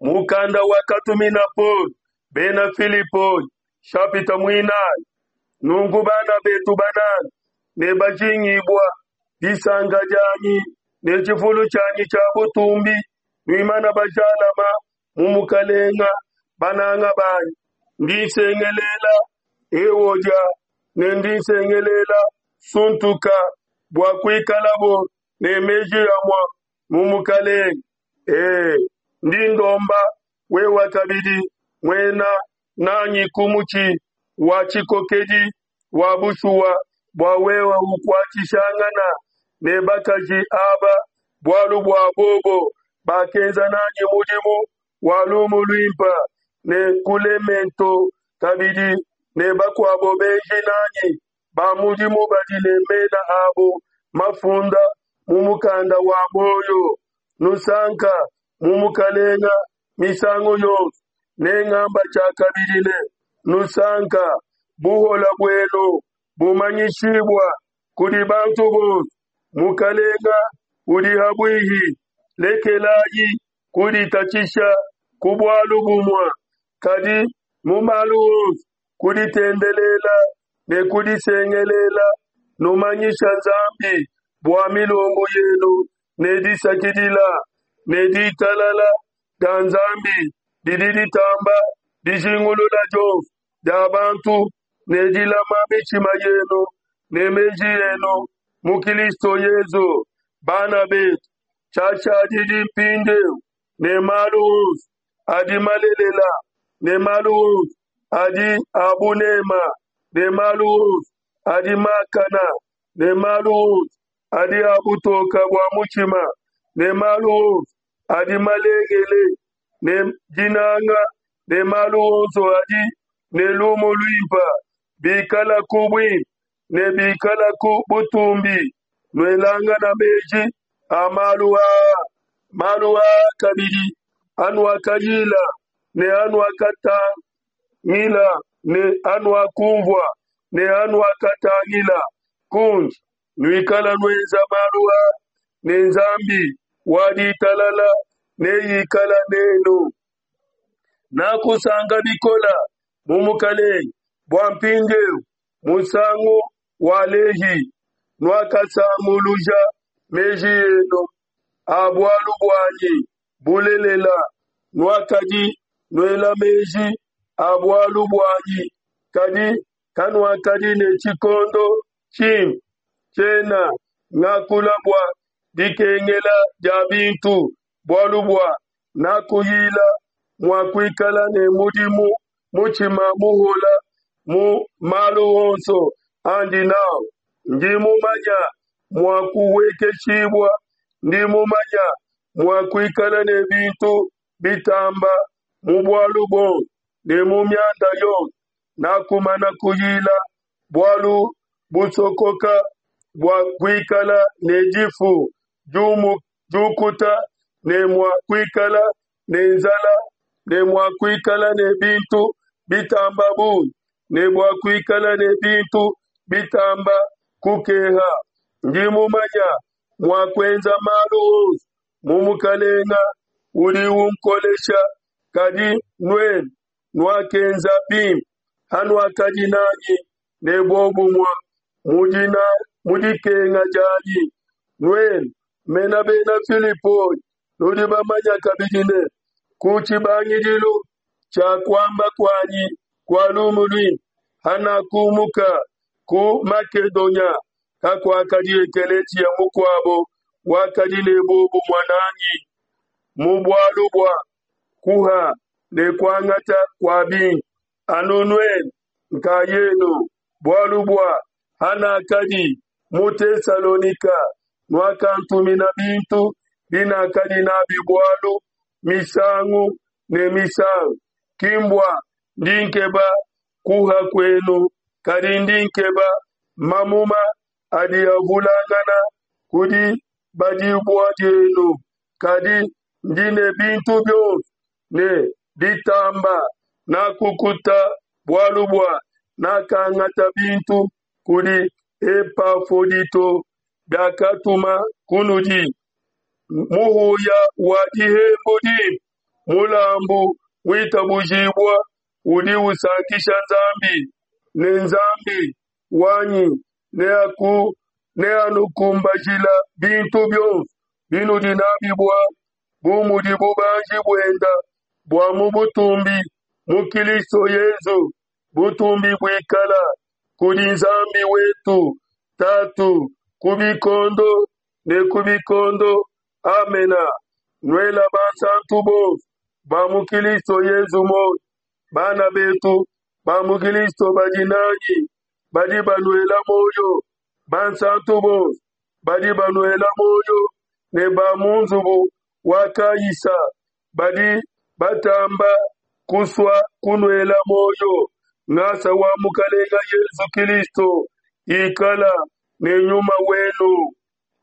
Mukanda wakatumina Paulo bena Filipoi, shapita muinayi. Nunku bana betu bananga ne bajingibua, disanka dianyi ne tshifulu tshianyi tshia butumbi, nuimana bajalama mu Mukalenga, bananga banyi, ndi nsengelela Ewodia ne ndi nsengelela Suntuka bua kuikalabo ne meji amua mu Mukalenge. Ee, ndi ndomba wewa kabidi muena nanyi ku mutshi wa tshikokedi wa bushuwa bua wewe ukuatshishangana ne bakaji aba, bualu bua bobo bakenza nanyi mudimu wa lumu luimpe ne Kulemento kabidi ne bakuabo benji nanyi ba mudimu badi ne mena abo mafunda mu mukanda wa muoyo. Nusanka mu Mukalenga misangu yonso, nengamba tshiakabidi ne, Nusanka. Buhola buenu bumanyishibua kudi bantu bonso. Mukalenga udi ha buihi. Lekelayi kuditatshisha ku bualu bumue, kadi mu malu onso ku ditendelela ne ku disengelela, numanyisha Nzambi bua milombu yenu ne disakidila, ne ditalala dia Nzambi didi ditamba dijingulula dionso dia bantu ne dilama mitshima yenu ne meji enu mu Kilisto Yezu. Bana betu, tshiashadidi mpindieu ne malu onso adi malelela ne malu onso adi a bunema ne malu onso adi makana ne malu onso adi a butoka bua mutshima ne malu onso adi malengele ne dinanga ne malu onso adi ne lumu luimpe, bikalaku buimpe ne bikalaku butumbi, nuelangana meji a malu aa. Malu aa kabidi anuakayila ne anuakatangila ne anuakumvua ne anuakatangila kundi, nuikala nuenza malu aa, ne Nzambi wa ditalala neikala nenu. Nakusanka bikola mu Mukalenge bua mpindieu musangu wa Lehi nuakasanguluja meji enu a bualu buanyi, bulelela, nuakadi nuela meji a bualu buanyi, kadi kanuakadi ne tshikondo tshimpe. Tshiena ngakula bua dikengela dia bintu, bualu bua nakuyila mua kuikala ne mudimu mutshima muhola mu malu onso andi nau. Ndi mumanya mua kuhuekeshibua, ndi mumanya mua kuikala ne bintu bitamba mu bualu buonso ne mu mianda yonso. Nakumana kuyila bualu busokoka bua kuikala ne difu diukuta ne mua kuikala ne nzala ne mua kuikala ne bintu bitamba bungi ne bua kuikala ne bintu bitamba kukeha. Ndi mumanya mua kuenza malu onso mu Mukalenga udi unkolesha. Kadi nuenu nuakenza bimpe hanuakadi nanyi ne buobumue mu dikenga dianyi. Nuenu mena Bena Filipoi, nudi bamanya kabidi ne, ku tshibangidilu tshia kuamba kuanyi kua lumu luimpe, hanakumuka ku Makedonia, kakuakadi ekeleziya mukuabo wakadi ne buobumue nanyi mu bualu bua kuha ne kuangata kua bintu, anu nuenu nkayenu. Bualu bua hanakadi mu Tesalonika, nuakantumina bintu binakadi n'abi bualu misangu ne misangu. Ki mbua ndi nkeba kuha kuenu, kadi ndi nkeba mamuma adi avulangana ku dibadibua dienu. Kadi ndi ne bintu bionso ne ditamba, nakukuta bualu bua nakangata bintu kudi Epafodito biakatuma kunudi. Muhuya wa dihembu dimpe. mulambu muitabujibua udi usankisha Nzambi. Ne Nzambi wanyi neanukumbajila bintu bionso binudi nabi bualu, bu mudi bubanji buenda bua mu butumbi mu Kilisto Yezu. Butumbi buikala kudi Nzambi wetu Tatu ku bikondo ne ku bikondo. Amena. Nuela bansantu bonso ba mu Kilisto Yezu muoyo. Bana betu ba mu Kilisto badi nanyi badi banuela muoyo. Bansantu bonso badi banuela muoyo, ne ba mu nzubu wa Kaisa badi batamba kusua kunuela muoyo. Ngasa wa Mukalenga Yezu Kilisto ikala ne nyuma wenu.